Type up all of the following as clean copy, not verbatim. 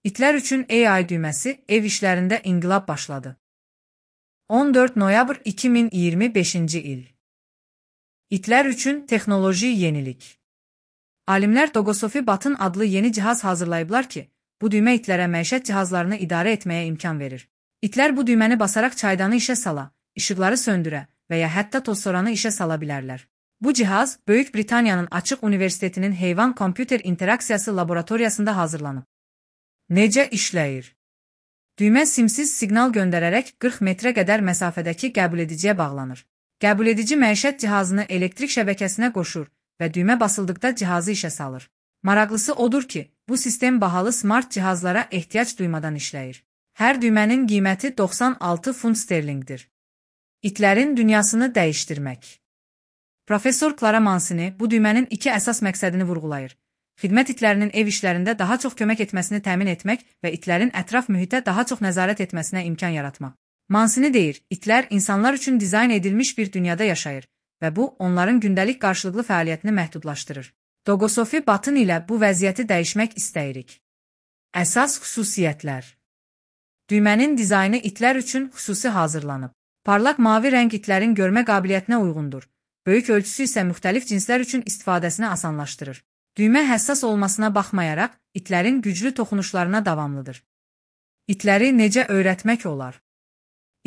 İtlər üçün AI düyməsi ev işlərində inqilab başladı. 14 noyabr 2025-ci il. İtlər üçün texnoloji yenilik. Alimlər Dogosofi Button adlı yeni cihaz hazırlayıblar ki, bu düymə itlərə məişət cihazlarını idarə etməyə imkan verir. İtlər bu düyməni basaraq çaydanı işə sala, işıqları söndürə və ya hətta tozsoranı işə sala bilərlər. Bu cihaz Böyük Britaniyanın Açıq Universitetinin Heyvan Kompüter İnteraksiyası laboratoriyasında hazırlanıb. Necə işləyir? Düymə simsiz siqnal göndərərək 40 metrə qədər məsafədəki qəbulediciyə bağlanır. Qəbuledici məişət cihazını elektrik şəbəkəsinə qoşur və düymə basıldıqda cihazı işə salır. Maraqlısı odur ki, bu sistem bahalı smart cihazlara ehtiyac duymadan işləyir. Hər düymənin qiyməti 96 funt sterlinqdir. İtlərin dünyasını dəyişdirmək. Professor Clara Mancini bu düymənin iki əsas məqsədini vurğulayır. Xidmət itlərinin ev işlərində daha çox kömək etməsini təmin etmək və itlərin ətraf mühitə daha çox nəzarət etməsinə imkan yaratmaq. Mancini deyir, itlər insanlar üçün dizayn edilmiş bir dünyada yaşayır və bu, onların gündəlik qarşılıqlı fəaliyyətini məhdudlaşdırır. Dogosofi Button ilə bu vəziyyəti dəyişmək istəyirik. Əsas xüsusiyyətlər. Düymənin dizaynı itlər üçün xüsusi hazırlanıb. Parlaq mavi rəng itlərin görmə qabiliyyətinə uyğundur. Böyük ölçüsü isə müxtəlif cinslər üçün istifadəsini asanlaşdırır. Düymə həssas olmasına baxmayaraq, itlərin güclü toxunuşlarına davamlıdır. İtləri necə öyrətmək olar?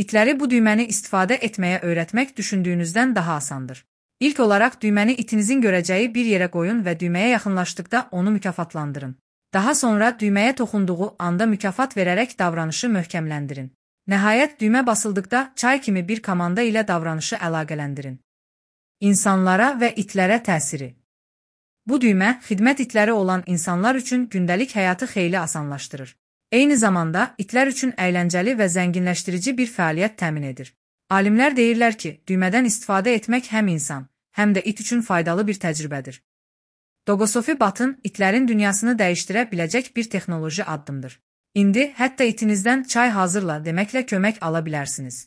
İtləri bu düyməni istifadə etməyə öyrətmək düşündüyünüzdən daha asandır. İlk olaraq düyməni itinizin görəcəyi bir yerə qoyun və düyməyə yaxınlaşdıqda onu mükafatlandırın. Daha sonra düyməyə toxunduğu anda mükafat verərək davranışı möhkəmləndirin. Nəhayət düymə basıldıqda çay kimi bir komanda ilə davranışı əlaqələndirin. İnsanlara və itlərə təsiri. Bu düymə, xidmət itləri olan insanlar üçün gündəlik həyatı xeyli asanlaşdırır. Eyni zamanda, itlər üçün əyləncəli və zənginləşdirici bir fəaliyyət təmin edir. Alimlər deyirlər ki, düymədən istifadə etmək həm insan, həm də it üçün faydalı bir təcrübədir. Dogosofi Button itlərin dünyasını dəyişdirə biləcək bir texnoloji addımdır. İndi hətta itinizdən çay hazırla deməklə kömək ala bilərsiniz.